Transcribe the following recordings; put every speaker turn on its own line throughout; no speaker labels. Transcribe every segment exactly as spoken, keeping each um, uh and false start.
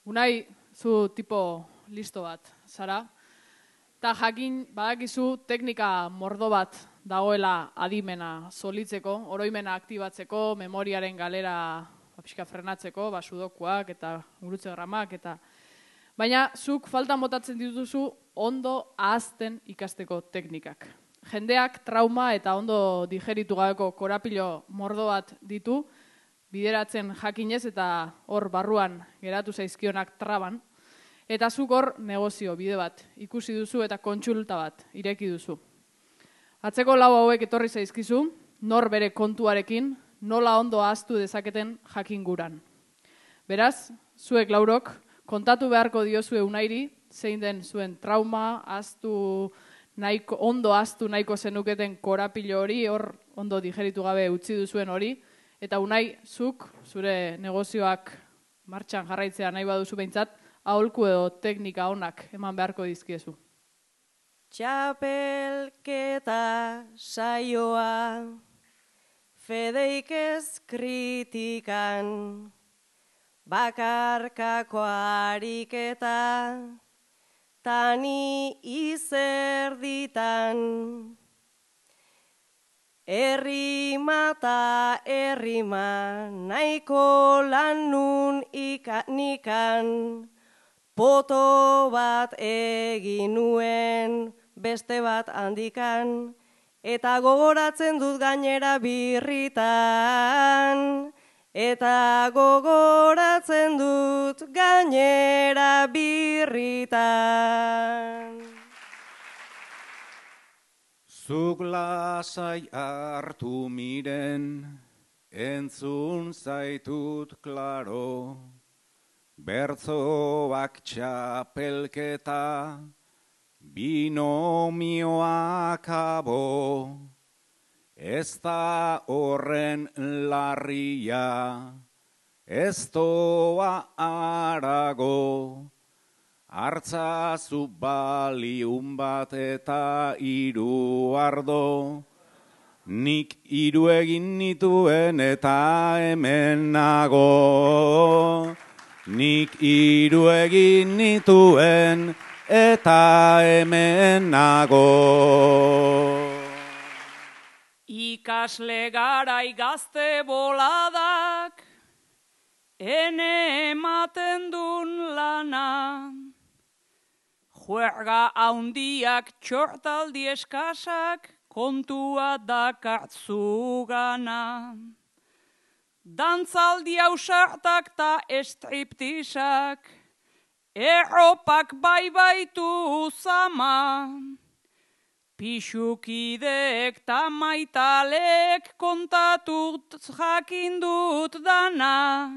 Unai, zu tipo listo bat, zara. Ta jakin badakizu teknika mordo bat dagoela adimena solitzeko, oroimena aktibatzeko, memoriaren galera pixka frenatzeko, ba, sudokuak eta gurutze gramak eta... Baina zuk faltan botatzen dituzu ondo ahazten ikasteko teknikak. Jendeak trauma eta ondo digeritu gabeko korapilo mordo bat ditu, bideratzen jakinez eta hor barruan geratu zaizkionak traban, eta zuk hor negozio bide bat ikusi duzu eta kontsulta bat ireki duzu. Atzeko lau hauek etorri zaizkizu, nor bere kontuarekin, nola ondo ahaztu dezaketen jakinguran. Beraz, zuek laurok, kontatu beharko diozue Unairi, zein den zuen trauma, ahaztu nahiko, ondo ahaztu nahiko zenuketen korapilo hori, hor ondo digeritu gabe utzi duzuen hori, eta Unai, zuk, zure negozioak martxan jarraitzea nahi baduzu behintzat, aholku edo teknika onak eman beharko dizkiezu.
Txapelketa saioa, fedeik ez kritikan, bakarkako ariketa, tani izerditan. Errima ta errima, nahiko lanun ikanikan, poto bat egin nuen, beste bat handikan, eta gogoratzen dut gainera birritan, eta gogoratzen dut gainera birritan.
Zuk lasai hartu miren, entzun zaitut klaro, bertzoak txapelketa, binomioak abo, ez da horren larria, ez doa arago, hartzazu baliun bat eta hiru ardo, nik hiru egin nituen eta hemen nago. Nik hiru egin nituen eta hemen nago.
Ikasle garai gazte boladak, ene ematen dun lana. Juerga haundiak txortaldi eskasak, kontua dakartzu gana. Dantzaldi ausartak ta estriptisak, erropak bai baitu zama. Pixukideek ta maitalek kontatut jakindut dana.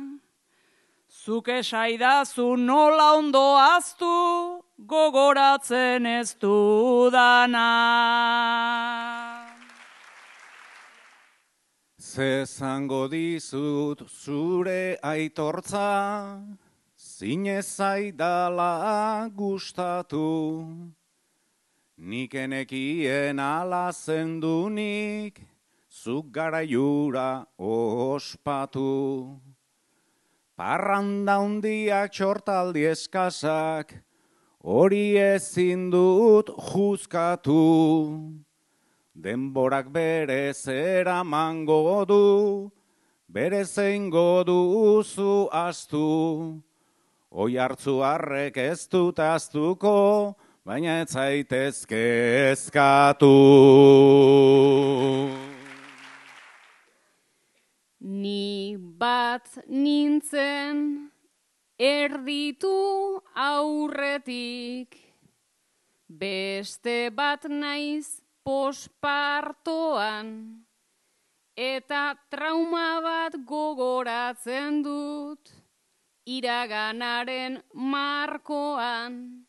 Zuk esaidazu nola ondo aztu, gogoratzen ez dudana.
Zezango dizut zure aitortza, zinez zaidala gustatu. Nik enekien ala zendunik, zuk garaiura ospatu. Parranda hundiak txortaldi eskasak, hori ezin dut juzkatu. Denborak bere zera mango du, bere zeingo duzu astu. Oi hartzu harrek ez dut aztuko, baina ez zaitezke eskatu.
Ni bat nintzen erditu aurretik, beste bat naiz pospartoan, eta trauma bat gogoratzen dut iraganaren markoan.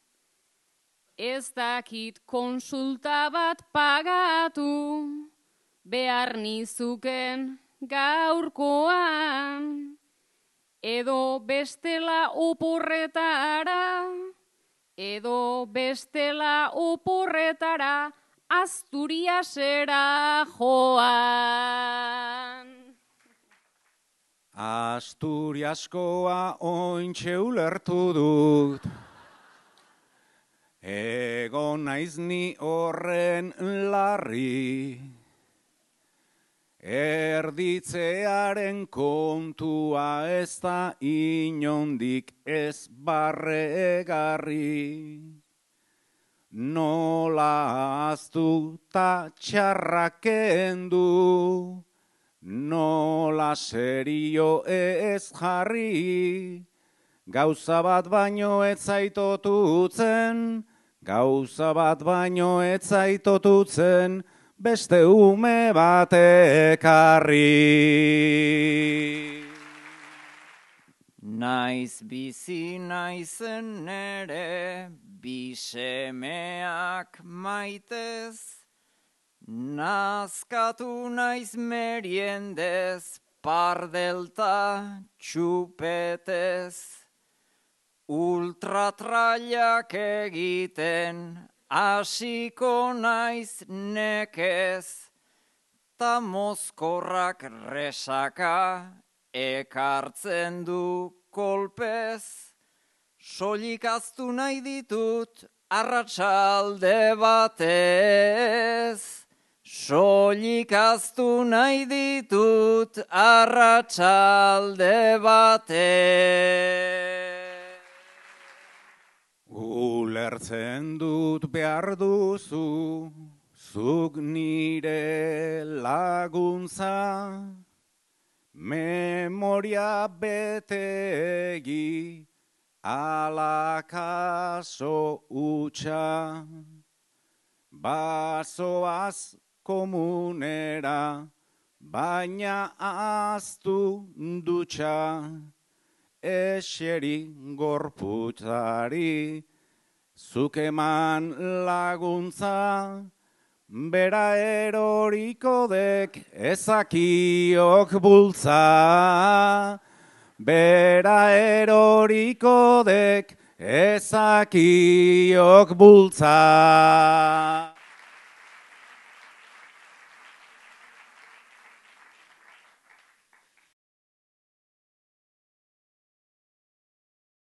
Ez dakit konsulta bat pagatu behar nizuken gaurkoan, edo bestela oporretara, edo bestela oporretara, Asturiasera joan.
Asturiaskoa ointxe ulertu dut, egon naiz ni horren larri, erditzearen kontua ez da inondik ez barregarri. Nola aztu ta txarraken du, nola serio ez jarri, gauza bat baino ez zaitotutzen, gauza bat baino ez zaitotutzen, beste ume bat ekarri.
Naiz bizi naizen ere, bisemeak maitez, nazkatu naiz meriendez, pardelta txupetez, ultratrailak egiten, hasiko naiz nekez, ta mozkorrak resaka ekartzen du kolpez, soilik aztu nahi ditut arratsalde batez, soilik aztu nahi ditut arratsalde batez.
Ulertzen dut behar duzu, zuk nire laguntza, memoria betegi, ala kaso utxa, bazoaz komunera, baina aztu dutxa, eseri gorputzari, zuk eman laguntza, bera eroriko dek ezakiok bultza, bera eroriko dek ezakiok bultza.